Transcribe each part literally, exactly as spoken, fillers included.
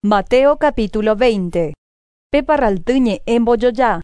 Mateo capítulo veinte. Pe parralty ñe'ẽ mbojoja.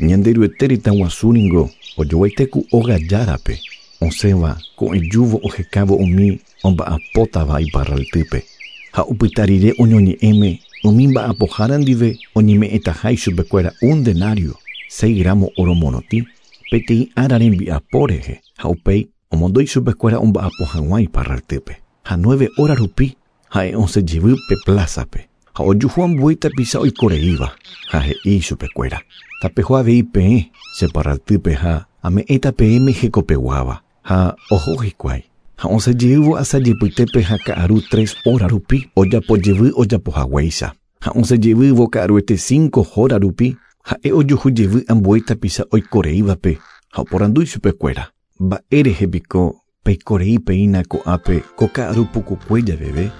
Ñanderuete retã guasu ningo ojoguaite óga járape osẽva ko'ẽjúvo ohekávo umi omba'apótava iparraltýpe ha opyta rire oñoñe'ẽme umi mba'apohára ndive oñeme'ẽtaha ichupekuéra un denario seis gramo oro morotĩ peteĩ ára rembiapo rehe ha upéi omondo ichupekuéra omba'apo hag̃ua iparraltýpe ha nueve hora rupi ha'e osẽjevy pe plázape ha ojuhu ambue tapicha oikoreíva ha he'i ichupekuéra tapeho avei peẽ che parraltýpe ha ame'ẽta peẽme hekopeguáva ha oho hikuái ha osẽjeývo asajepytépe ha ka'aru tres hora rupi ojapojevy ojapohaguéicha ha osẽjevývo ka'aruete cinco hora rupi ha'e ojuhujevy ambue tapicha oikoreívape ha oporandu ichupekuéra mba'érehe piko peikorei peína ko'ápe ko ka'aru pukukue javeve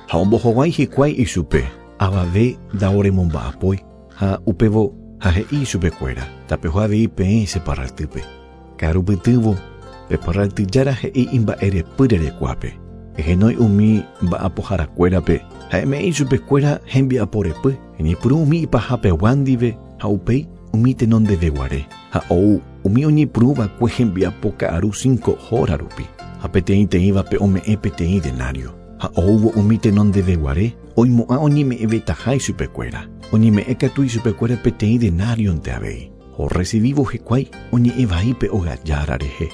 ha ombohovái hikuái ichupe avave ndaoremomba'apói ha upévo ha he'i ichupekuéra tapeho avei peẽ che parraltýpe ka'arupytývo pe parraltyjára he'i imba'erepy rerekuápe ehenói umi mba'apoharakuérape ha eme'ẽ ichupekuéra hembiaporepy eñepyrũ umi ipahapegua ndive ha upéi umi tenondeveguare ha ou umi oñepyrũva'ekue hembiapo ka'aru cinco hora rupi ha peteĩteĩvape ome'ẽ peteĩ denario ha oúvo umi tenondeveguare oimo'ã oñeme'ẽvetaha ichupekuéra oñeme'ẽ katu ichupekuéra peteĩ denarionte avei orecibívo hikuái oñe'ẽvaípe óga rehe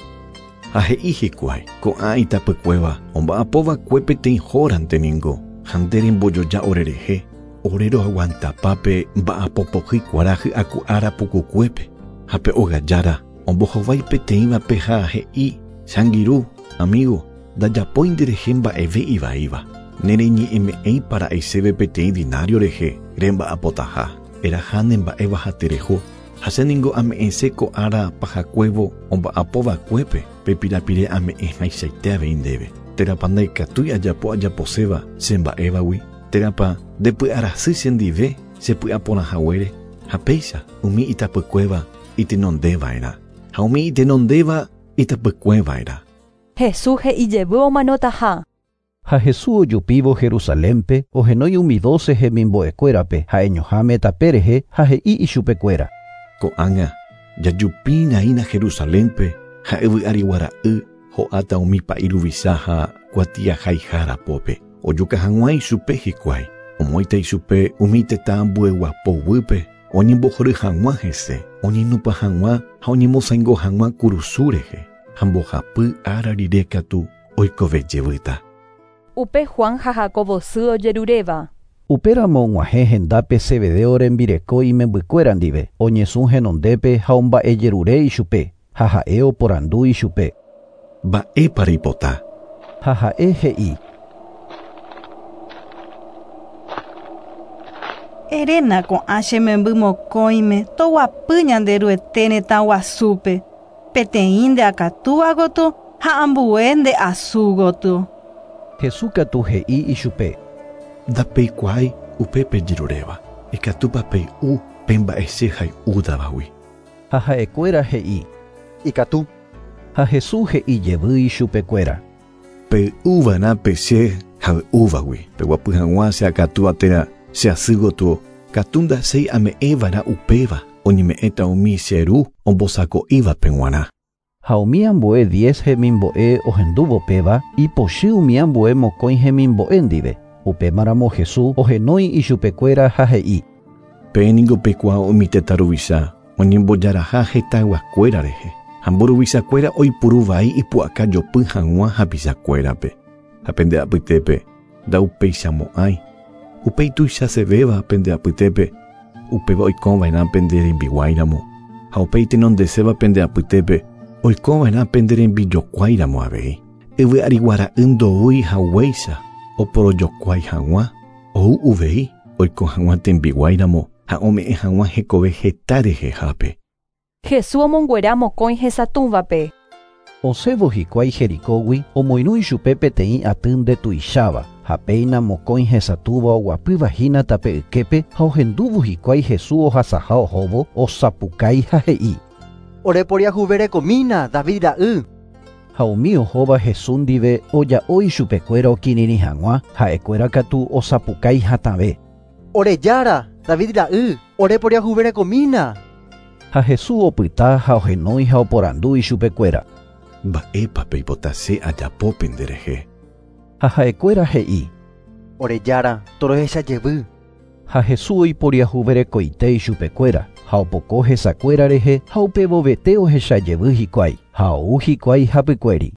ha he'i hikuái ko'ã itapykuéva omba'apóva'ekue peteĩ hórante ningo ha nde rembojoja orerehe ore roaguantapápe mba'apopohy kuarahy aku ára pukukuépe ha pe óga jára ombohovái peteĩvape ha he'i che angirũ amigo ndajapói nderehe mba'eve ivaíva nereñe'ẽme'ẽipa ra'e chéve peteĩ denario rehe remba'apotaha eraha nemba'éva ha tereho ha che ningo ame'ẽse ko ára pahakuévo omba'apóva'ekuépe pe pirapire ame'ẽhaichaite avei ndéve térãpa ndaikatúi ajapo ajaposéva che mba'évagui térãpa ndepy'arasy chendive chepy'aporãhaguére ha péicha umi itapykuéva itenondeva'erã ha umi itenondéva itapykueva'erã. Jesús he'i jevy omanotaha. Ha Jesús ojupívo Jerusalénpe ohenói umi doce hemimbo'ekuérape ha'eñoháme tape rehe ha he'i ichupekuéra. Ko'ág̃a jajupína Jerusalénpe ha yvy'ariguara'y ho'áta umi pa'i ruvicha ha kuatiahaiharapópe ojuka hag̃ua ichupe hikuái omoĩta ichupe umi tetã ambueguapoguýpe oñembohory hag̃ua hese oñenupa hag̃ua ha oñemosãingo hag̃ua kurusu rehe ha mbohapy ára rire katu oikovejevýta. Upe Juan ha Jacobo sy ojeruréva. Upéramo og̃uahẽ hendápe Zebedeo rembireko imembykuéra ndive oñesũ henondépe ha omba'ejerure ichupe ha ha'e oporandu ichupe. Mba'épa reipota. Ha ha'e he'i. Eréna ko'ã che memby mokõime toguapy Ñanderuete retã guasúpe peteĩ nde akatúva gotyo ha ambue nde asu gotyo. Jesús katu he'i ichupe. Ndapeikuaái upe pejeruréva ikatúpa pey'u pe mba'e che hay'útavagui. Ha ha'ekuéra he'i. Ikatu. Ha Jesús he'i jevy ichupekuéra. Pey'uva'erã pe che hay'úvagui peguapy hag̃ua che akatúva térã che asy gotyo katu ndachéi ame'ẽva'erã upéva oñeme'ẽta umi che ru ombosako'ívape g̃uarã. Ha umi ambue diez hemimbo'e ohendúvo péva ipochy umi ambue mokõi hemimbo'e ndive. Upémaramo Jesús ohenói ichupekuéra ha he'i. Peẽ ningo pekuaa umi tetã ruvicha oñembojaraha hetãyguakuéra rehe ha mburuvichakuéra oipuruvai ipu'aka jopy hag̃ua hapichakuérape ha pende apytépe ndaupeichamo'ãi upéi tuichasevéva pende apytépe upéva oikova'erã pende rembiguáiramo ha upéi tenondeséva pende apytépe oikova'erã pende rembijokuáiramo avei yvy'ariguara'y ndoúi haguéicha oporojokuái hag̃ua ou uvei oiko hag̃ua tembiguáiramo ha ome'ẽ hag̃ua hekove heta rehehápe. Jesús omonguera mokõi hesatũvape. Osẽvo hikuái Jericógui omoirũ ichupe peteĩ aty ndetuicháva ha péina mokõi hesatũva oguapýva hína tape yképe ha ohendúvo hikuái Jesús ohasaha ohóvo osapukái ha he'i. Oreporiahuverekomína David ra'y. Ha Ha umi ohóva Jesús ndive oja'o ichupekuéra okirirĩ hag̃ua, ha'ekuéra katu osapukái hatãve. Ore Jára, David ra'y, oreporiahuverekomína. Ha Jesús opyta ha ohenói ha oporandu ichupekuéra. Mba'épa peipota che ajapo penderehe. Ha ha'ekuéra he'i. Ore Jára, torohecha jevy. Ha Jesús oiporiahuverekoite ichupekuéra, ha opoko hesakuéra rehe ha upevovete ohecha jevy hikuái, ha ou hikuái hapykuéri.